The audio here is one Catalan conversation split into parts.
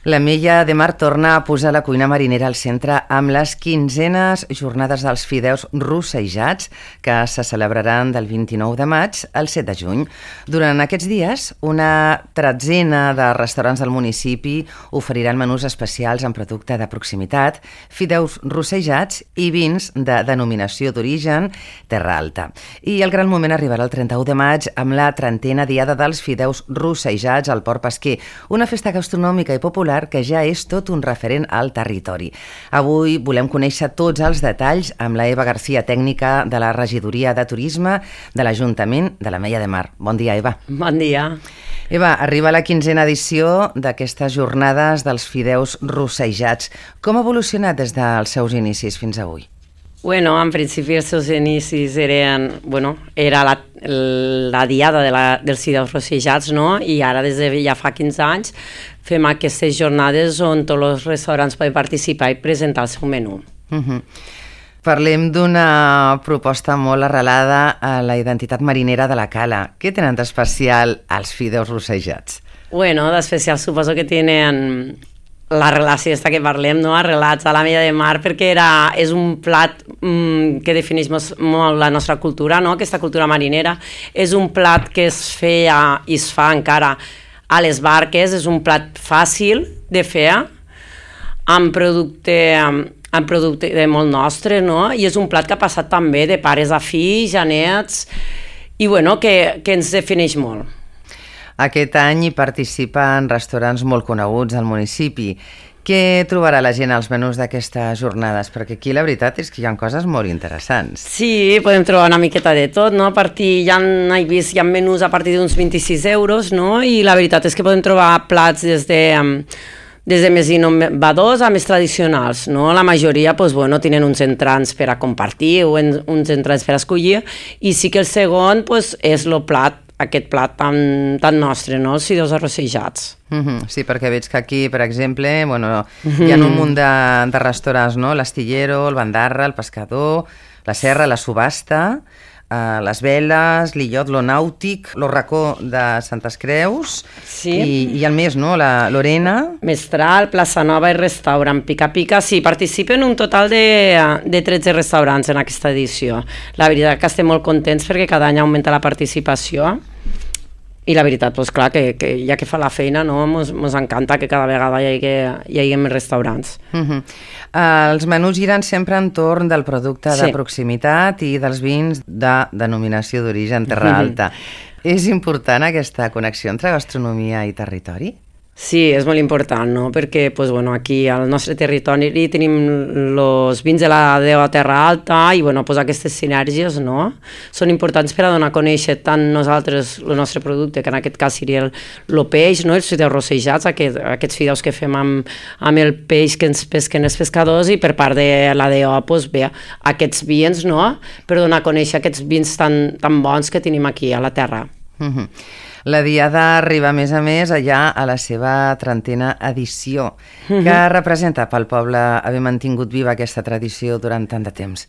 L'Ametlla de Mar torna a posar la cuina marinera al centre amb les 15enes jornades dels fideus rossejats que se celebraran del 29 de maig al 7 de juny. Durant aquests dies, una tretzena de restaurants del municipi oferiran menús especials amb producte de proximitat, fideus rossejats i vins de denominació d'origen Terra Alta. I el gran moment arribarà el 31 de maig amb la 30a Diada dels Fideus Rossejats al Port Pesquer, una festa gastronòmica i popular que ja és tot un referent al territori. Avui volem conèixer tots els detalls amb la Eva García, tècnica de la Regidoria de Turisme de l'Ajuntament de l'Ametlla de Mar. Bon dia, Eva. Bon dia. Eva, arriba la 15a edició d'aquestes jornades dels fideus rossejats. Com ha evolucionat des dels seus inicis fins avui? Bueno, en principi els seus inicis era la diada dels fideus rossejats, no? I ara des de ja fa 15 anys fem aquestes jornades on tots els restaurants poden participar i presentar el seu menú. Parlem d'una proposta molt arrelada a la identitat marinera de la cala. Què tenen d'especial els fideus rossejats? Bueno, d'especial suposo que tenen la relació que parlem, no? Arrelats a l'Ametlla de Mar, perquè és un plat que defineix molt la nostra cultura, no? Aquesta cultura marinera. És un plat que es feia i es fa encara a les barques, és un plat fàcil de fer, amb producte molt nostre, no? I és un plat que ha passat també de pares a fills, a nets, i bueno, que ens defineix molt. Aquest any hi participen restaurants molt coneguts al municipi. Què trobarà la gent als menús d'aquestes jornades? Perquè aquí la veritat és que hi ha coses molt interessants. Sí, podem trobar una miqueta de tot, no? Hi ha menús a partir d'uns 26 euros, no? I la veritat és que podem trobar plats des de més innovadors a més tradicionals, no? La majoria tenen uns entrants per a compartir o uns entrants per a escollir, i sí que el segon és aquest plat tan nostre, no? Els fideus arrossejats. Sí, perquè veig que aquí, per exemple, hi ha un munt de restaurants, no? L'Astillero, el Bandarra, el Pescador, la Serra, la Subhasta, les Veles, l'Illot, lo Nàutic, lo Racó de Santes Creus, i el més, no? L'Orena. Mestral, Plaça Nova i Restaurant Pica Pica. Sí, participen un total de 13 restaurants en aquesta edició. La veritat que estem molt contents perquè cada any augmenta la participació. I la veritat, clar, que ja que fa la feina, no, mos encanta que cada vegada hi hagi més restaurants. Els menús giren sempre entorn del producte de proximitat i dels vins de denominació d'origen Terra Alta. És important aquesta connexió entre gastronomia i territori? Sí, és molt important, no? Perquè aquí al nostre territori tenim els vins de la Déu a Terra Alta i aquestes sinergies, no? Són importants per a donar a conèixer tant nosaltres el nostre producte, que en aquest cas seria el peix, no? Els fideus rossejats, aquests fideus que fem amb el peix que ens pesquen els pescadors, i per part de la DO aquests vins, no? Per donar a conèixer aquests vins tan bons que tenim aquí a la terra. La Diada arriba, a més allà a la seva 30a edició. Què representa pel poble haver mantingut viva aquesta tradició durant tant de temps?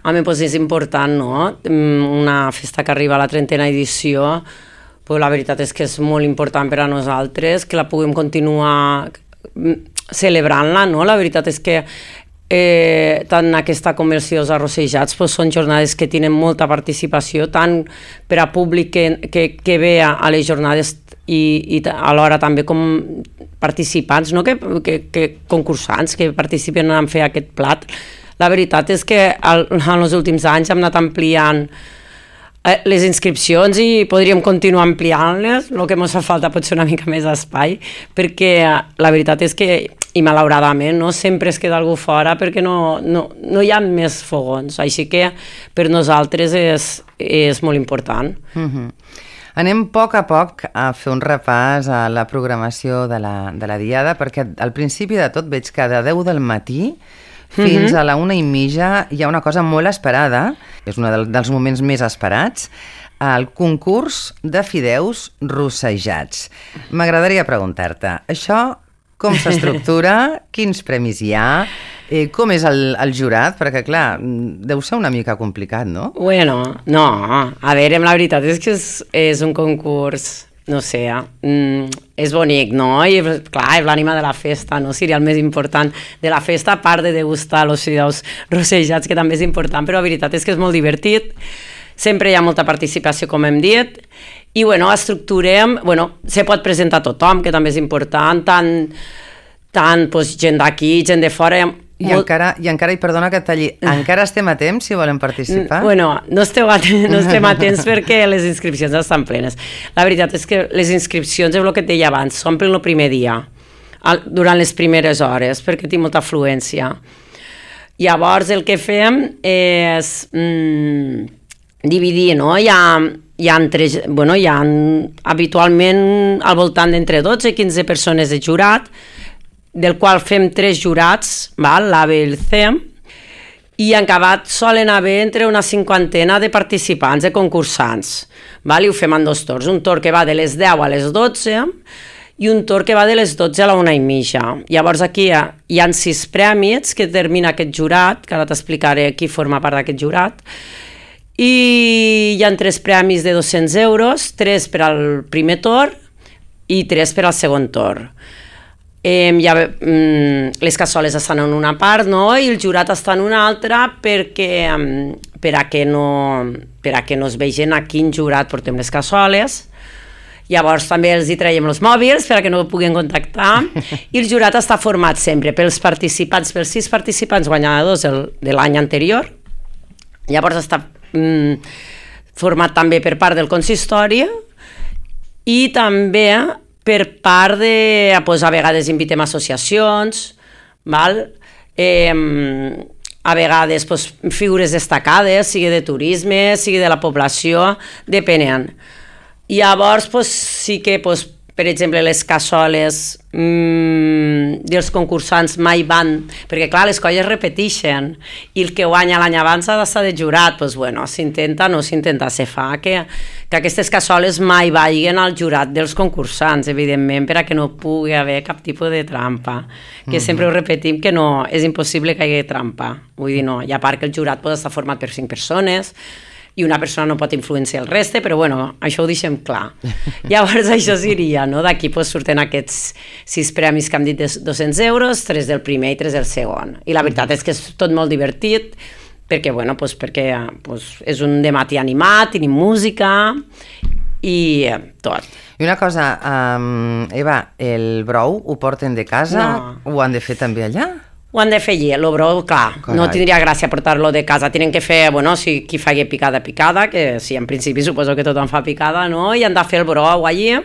Home, és important, no? Una festa que arriba a la 30a edició, la veritat és que és molt important per a nosaltres, que la puguem continuar celebrant-la, no? La veritat és que tant aquesta conversió dels arrossejats són jornades que tenen molta participació, tant per a públic que ve a les jornades i alhora també com participants, no? que concursants que participen en fer aquest plat. La veritat és que en els últims anys hem anat ampliant les inscripcions i podríem continuar ampliant-les. El que ens fa falta pot ser una mica més d'espai, perquè la veritat és que, i malauradament, no sempre es queda algú fora perquè no hi ha més fogons, així que per nosaltres és molt important. Anem a poc a fer un repàs a la programació de la Diada, perquè al principi de tot veig que de 10 del matí fins a la 1:30 hi ha una cosa molt esperada, és un dels moments més esperats, el concurs de fideus rossejats. M'agradaria preguntar-te, això com s'estructura, quins premis hi ha, com és el jurat, perquè clar, deu ser una mica complicat, no? No, a veure, la veritat és que és un concurs no sé, és bonic, no? I clar, és l'ànima de la festa, no? Seria el més important de la festa, a part de degustar els fideus rossejats, que també és important, però la veritat és que és molt divertit. Sempre hi ha molta participació, com hem dit, i bueno, estructurem, bueno, se pot presentar tothom, que també és important, tant doncs, gent d'aquí, gent de fora. I encara, i perdona que et talli, encara estem a temps si volen participar? Bueno, no estem a temps perquè les inscripcions estan plenes. La veritat és que les inscripcions, és el que et deia abans, s'omplen el primer dia, durant les primeres hores, perquè tinc molta afluència. Llavors el que fem és dividir, no? Hi ha habitualment al voltant d'entre 12 i 15 persones de jurat, del qual fem 3 jurats, l'A, B i el C, i en acabat solen haver entre una 50 de participants, de concursants, i ho fem en 2 torns, un torn que va de les 10 a les 12 i un torn que va de les 12 a la 1:30. Llavors aquí hi ha 6 premis que determina aquest jurat, que ara t'explicaré qui forma part d'aquest jurat, i hi ha 3 premis de 200 euros, 3 per al primer torn i 3 per al segon torn. Les cassoles estan en una part, no? I el jurat està en una altra per a que no es vegin a quin jurat portem les cassoles. Llavors també els hi traiem els mòbils per a que no puguin contactar, i el jurat està format sempre pels 6 participants guanyadors de l'any anterior. Llavors està format també per part del consistori i també per part de, a vegades invitem associacions, a vegades figures destacades, sigui de turisme, sigui de la població, depenent. Llavors sí que, per exemple, les cassoles dels concursants mai van, perquè clar, les colles repeteixen, i el que guanya l'any abans ha d'estar de jurat, doncs bueno, s'intenta, no s'intenta, se fa que aquestes cassoles mai vagin al jurat dels concursants, evidentment, per a que no pugui haver cap tipus de trampa, que sempre ho repetim que no, és impossible que hi hagi trampa, vull dir, no, i a part que el jurat pot estar format per 5 persones, i una persona no pot influenciar el reste, però bueno, això ho deixem clar. Llavors això seria, no? D'aquí surten aquests 6 premis que hem dit de 200 euros, 3 del primer i 3 del segon. I la veritat és que és tot molt divertit, perquè, bueno, perquè és un dematí animat, tenim música i tot. I una cosa, Eva, el brou ho porten de casa? No. Ho han de fer també allà? Ho han de fer allí, el brou, clar, no tindria gràcia portar-lo de casa, tenen que fer, bueno, si qui faci picada, que sí, en principi suposo que tothom fa picada, no? I han de fer el brou allí,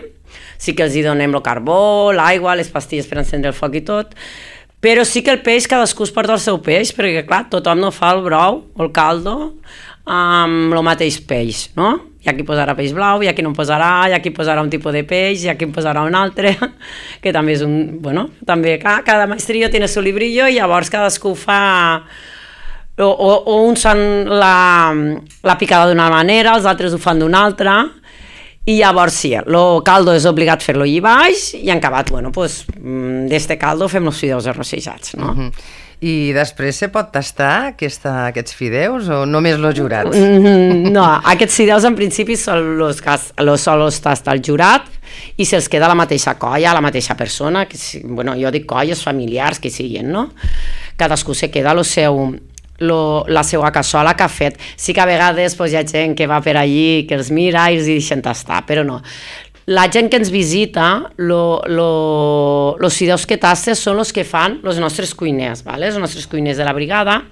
sí que els hi donem el carbó, l'aigua, les pastilles per encendre el foc i tot, però sí que el peix, cadascú es porta el seu peix, perquè clar, tothom no fa el brou o el caldo amb el mateix peix, no? Hi ha qui posarà peix blau, hi ha qui no en posarà, hi ha qui posarà un tipus de peix, hi ha qui en posarà un altre, que també és un... Bueno, també cada maestrillo tiene su librillo i llavors cadascú fa... O uns fan la picada d'una manera, els altres ho fan d'una altra, i llavors sí, el caldo és obligat fer-lo allà baix i en acabat, bueno, doncs d'este caldo fem els fideus arrossejats, no? I després se pot tastar aquests fideus o només los jurats? No, aquests fideus en principi són los tasta el jurat i se'ls queda la mateixa colla, la mateixa persona, que, bueno, jo dic colles familiars que siguin, no? Cadascú se queda la seva cassola que ha fet. Sí que a vegades hi ha gent que va per allí, que els mira i els deixen tastar, però no. La gent que ens visita, els fideus que tastes són els que fan els nostres cuiners, els nostres cuiners de la brigada,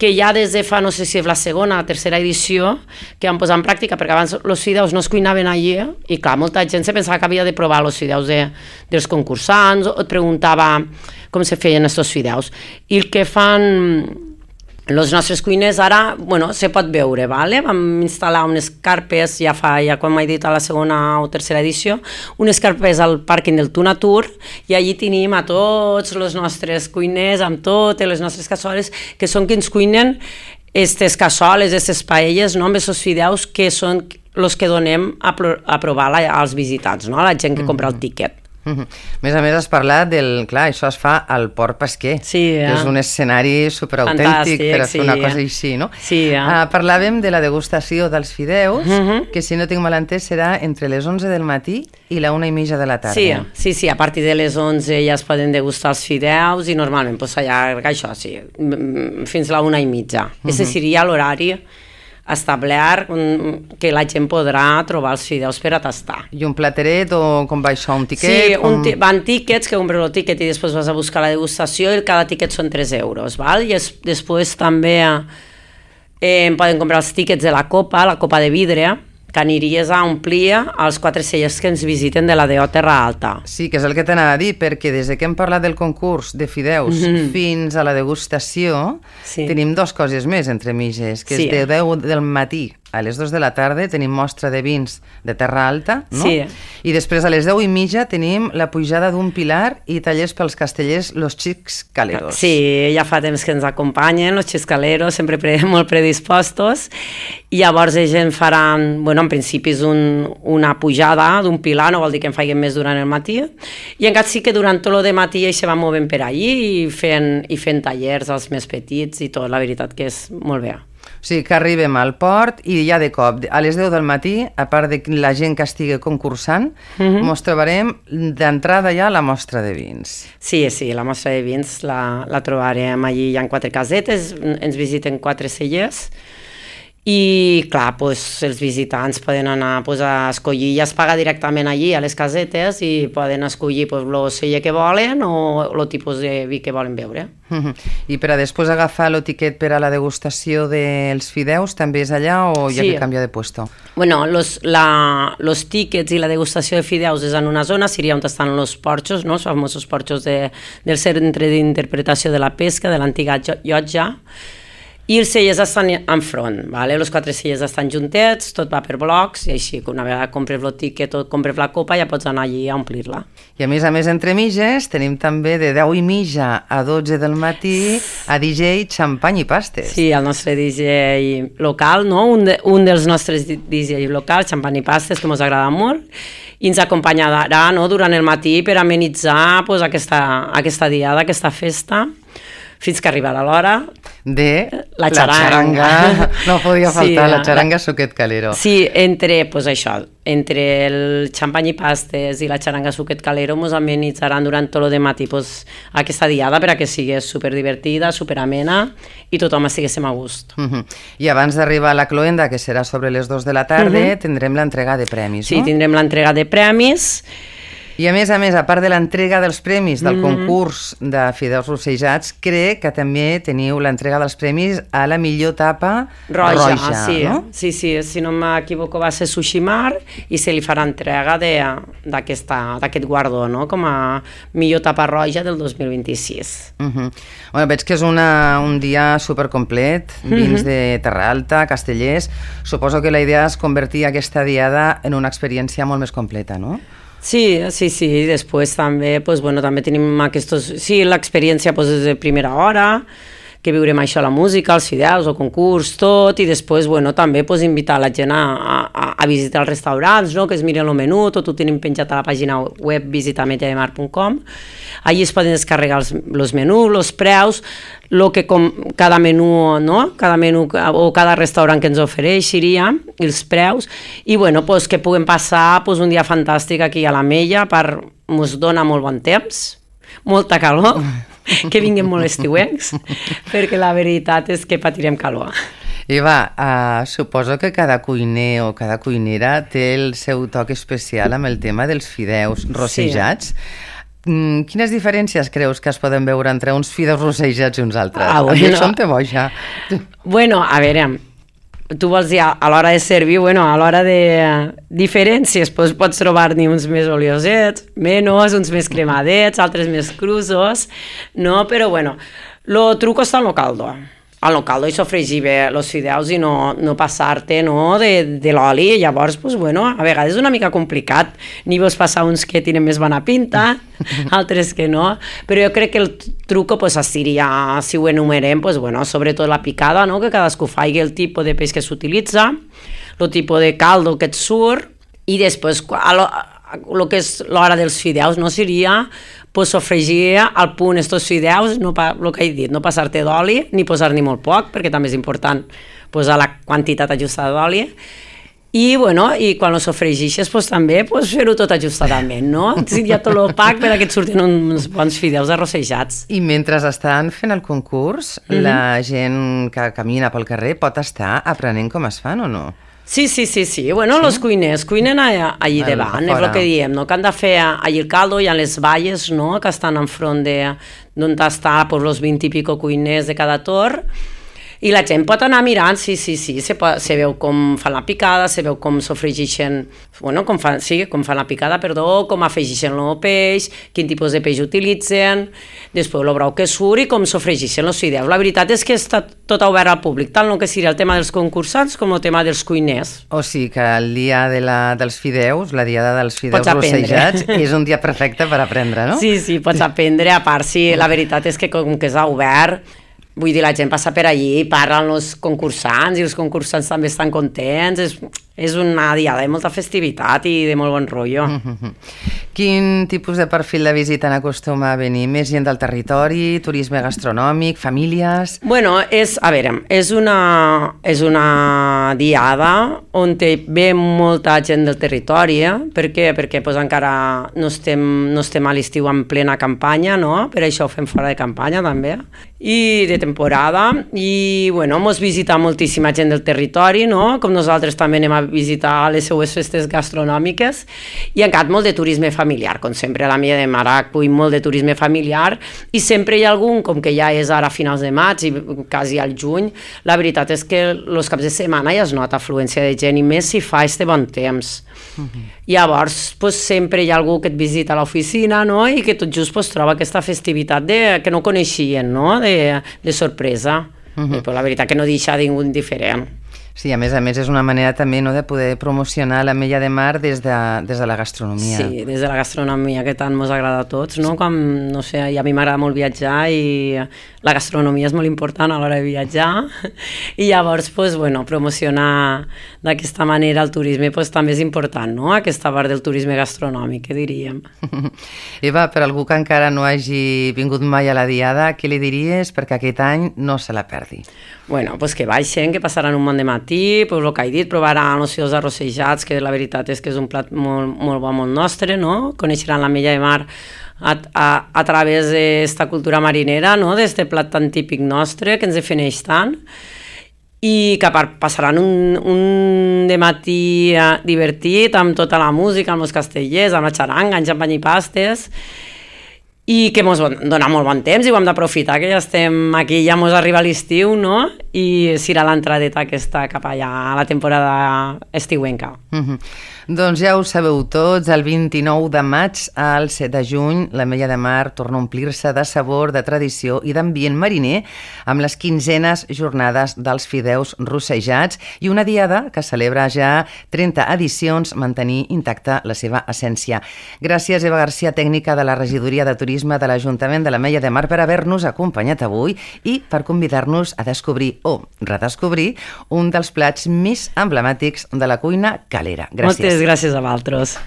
que ja des de fa, no sé si és la segona o tercera edició, que van posar en pràctica, perquè abans els fideus no es cuinaven allí, i clar, molta gent se pensava que havia de provar els fideus dels concursants, o et preguntava com se feien aquests fideus. I el que fan... Els nostres cuiners ara, bueno, se pot veure, vam instal·lar unes carpes, ja com he dit a la segona o tercera edició, unes carpes al pàrquing del Tunatur, i allí tenim a tots els nostres cuiners, amb totes les nostres cassoles, que són qui ens cuinen aquestes cassoles, aquestes paelles, amb aquests fideus que són els que donem a provar als visitants, a la gent que compra el tiquet. A més, has parlat del... Clar, això es fa al Port Pesquer, que és un escenari superautèntic per a fer una cosa així, no? Sí, parlàvem de la degustació dels fideus, que si no tinc mal entès serà entre les 11 del matí i la 1:30 de la tarda. Sí, a partir de les 11 ja es poden degustar els fideus i normalment s'allarga això, fins a la 1:30. Ese seria l'horari establert que la gent podrà trobar els fideus per a tastar. I un plateret o com va això, un tiquet? Sí, van tiquets, que compres el tiquet i després vas a buscar la degustació i cada tiquet són 3 euros, val? I després també poden comprar els tiquets de la copa de vidre, que aniries a omplir els 4 cellers que ens visiten de la DO Terra Alta. Sí, que és el que t'anava a dir, perquè des que hem parlat del concurs de fideus fins a la degustació, tenim 2 coses més entre mitges, que és de 10 del matí a les 2 de la tarda tenim mostra de vins de Terra Alta, no? Sí. I després a les 10:30 tenim la pujada d'un pilar i tallers pels castellers Los Xics Caleros. Sí, ja fa temps que ens acompanyen, Los Xics Caleros, sempre molt predispostos, i llavors ells faran, en principi és una pujada d'un pilar, no vol dir que en facin més durant el matí, i encara sí que durant tot el de matí ells se van movent per allí i fent tallers als més petits i tot, la veritat que és molt bé. O sigui que arribem al port i ja de cop, a les 10 del matí, a part de la gent que estigui concursant, mos trobarem d'entrada ja a la mostra de vins. Sí, la mostra de vins la trobarem allí, hi ha 4 casetes, ens visiten 4 cellers, i clar, els visitants poden anar a escollir, ja es paga directament allí a les casetes i poden escollir el celler que volen o el tipus de vi que volen beure. I per a després agafar el tiquet per a la degustació dels fideus també és allà o hi ha que canviar de puesto? Bueno, los tiquets i la degustació de fideus és en una zona, seria on estan els porxos, no? Els famosos porxos del Centre d'Interpretació de la Pesca, de l'antiga llotja, i els cellers estan enfront, vale? Els 4 cellers estan juntets, tot va per blocs, i així que una vegada compres el tiquet o compres la copa ja pots anar allí a omplir-la. I a més, entre mitges, tenim també de 10:30 a 12 del matí a DJ Xampany i Pastes. Sí, el nostre DJ local, no? Un dels nostres DJ locals, Xampany i Pastes, que ens agrada molt, i ens acompanyarà durant el matí per amenitzar aquesta diada, aquesta festa, fins que arribarà l'hora de la xaranga. No podia faltar, la xaranga Suquet Calero. Sí, entre el xampany i pastes i la xaranga Suquet Calero ens amenitzaran durant tot el de matí aquesta diada perquè sigui superdivertida, superamena i tothom estiguéssim a gust. I abans d'arribar a la cloenda, que serà sobre les 2 de la tarda, tindrem l'entrega de premis, no? Sí, tindrem l'entrega de premis. I a més, a part de l'entrega dels premis del concurs de fideus rossejats, crec que també teniu l'entrega dels premis a la millor tapa roja, no? Sí, si no m'equivoco va ser Sushimar i se li farà entrega d'aquest guardó, no? Com a millor tapa roja del 2026. Veig que és un dia supercomplet, vins de Terra Alta, castellers. Suposo que la idea és convertir aquesta diada en una experiència molt més completa, no? Sí, després també, també tenim l'experiència des de primera hora, que viurem això, la música, els fideus, el concurs, tot, i després també invitar la gent a visitar els restaurants, no? Que es miren el menú, tot ho tenim penjat a la pàgina web visitametjademar.com. Allí es poden descarregar els menús, els preus, cada menú, no? Cada menú o cada restaurant que ens ofereixiria, els preus, i que puguem passar un dia fantàstic aquí a l'Ametlla, ens dona molt bon temps, molta calor, que vinguin molt estiuencs, perquè la veritat és que patirem calor. Eva, suposo que cada cuiner o cada cuinera té el seu toc especial amb el tema dels fideus rossejats. Quines diferències creus que es poden veure entre uns fideus rossejats i uns altres? A mi això em té boja. A veure, tu vols dir a l'hora de servir, a l'hora de diferències, pots trobar-ne uns més oliosets, menys, uns més cremadets, altres més crusos, no? Però el truco està en el caldo. En el caldo i sofregir bé els fideus i no passar-te de l'oli. Llavors, a vegades és una mica complicat. N'hi vols passar uns que tenen més bona pinta, altres que no. Però jo crec que el truco seria, si ho enumerem, sobretot la picada, que cadascú faci el tipus de peix que s'utilitza, el tipus de caldo que et surt, i després el que és l'hora dels fideus, no seria pues, sofregir al punt estos fideus, no el que he dit, no passar-te d'oli ni posar-n'hi molt poc, perquè també és important posar la quantitat ajustada d'oli. I, bueno, i quan ho sofregixes, pues, també pues, fer-ho tot ajustadament, no? Si ja tot l'opac per que et surtin uns bons fideus arrossejats. I mentre estan fent el concurs, la gent que camina pel carrer pot estar aprenent com es fan o no? Sí. Bueno, los cuiners cuinen allí davant, és el que diem, no? Que han de fer allí el caldo, hi ha les valles, no? Que estan enfront d'on està pues, los 20 i pico cuiners de cada torn, i la gent pot anar mirant, sí, se veu com fan la picada, se veu com sofregixen, bueno, com fan la picada, com afegixen el peix, quin tipus de peix utilitzen, després el brou que surt i com sofregixen els fideus. La veritat és que està tot obert al públic, tant el que seria el tema dels concursants com el tema dels cuiners. O sigui que el dia dels fideus, la diada dels fideus rossejats, és un dia perfecte per aprendre, no? Sí, pots aprendre, a part, sí, la veritat és que com que és obert, vull dir, la gent passa per allí i parla amb els concursants i els concursants també estan contents, és una diada de molta festivitat i de molt bon rotllo. Quin tipus de perfil de visitant acostuma a venir? Més gent del territori, turisme gastronòmic, famílies? Bueno, és una diada on ve molta gent del territori, Per què? Perquè pues, encara no estem a l'estiu en plena campanya, no? Per això ho fem fora de campanya també, i de temporada, i bueno, mos visita moltíssima gent del territori, no? Com nosaltres també anem a visitar les seues festes gastronòmiques, i encara molt de turisme familiar, com sempre a la Mella de Mar acull molt de turisme familiar, i sempre hi ha algun, com que ja és ara a finals de maig i quasi al juny, la veritat és que els caps de setmana ja es nota afluència de gent, i més si fa este bon temps. Llavors, pues, sempre hi ha algú que et visita a l'oficina, no? I que tot just pues, troba aquesta festivitat que no coneixien, no? De sorpresa. I pues, la veritat que no deixa ningú indiferent. Sí, a més és una manera també, no, de poder promocionar la Mella de Mar des de la gastronomia. Sí, des de la gastronomia, que tant ens agrada a tots, no? Com, no sé, i a mi m'agrada molt viatjar i la gastronomia és molt important a l'hora de viatjar, i llavors, pues, bueno, promocionar d'aquesta manera el turisme pues, també és important, no? Aquesta part del turisme gastronòmic, que diríem. Eva, per algú que encara no hagi vingut mai a la diada, què li diries perquè aquest any no se la perdi? Bueno, pues que baixen, que passaran un bon de matí, pues el que he dit, provaran els fideus arrossejats, que la veritat és que és un plat molt, molt bo, molt nostre, no? Coneixeran la Mella de Mar a través d'esta cultura marinera, no? D'este plat tan típic nostre, que ens defineix tant, i que a part passaran un de matí divertit, amb tota la música, amb els castellers, amb la xaranga, amb xampany i pastes, i que ens dona molt bon temps i ho hem d'aprofitar, que ja estem aquí, ja ens arriba l'estiu, no? I serà l'entradeta aquesta cap allà a la temporada estiuenca. Doncs ja ho sabeu tots, el 29 de maig al 7 de juny la Mella de Mar torna a omplir-se de sabor, de tradició i d'ambient mariner amb les 15enes jornades dels fideus rossejats i una diada que celebra ja 30 edicions mantenir intacta la seva essència. Gràcies, Eva Garcia, tècnica de la Regidoria de Turisme de l'Ajuntament de la Mella de Mar, per haver-nos acompanyat avui i per convidar-nos a descobrir o redescobrir un dels plats més emblemàtics de la cuina calera. Gràcies. Moltes gràcies a vosaltres.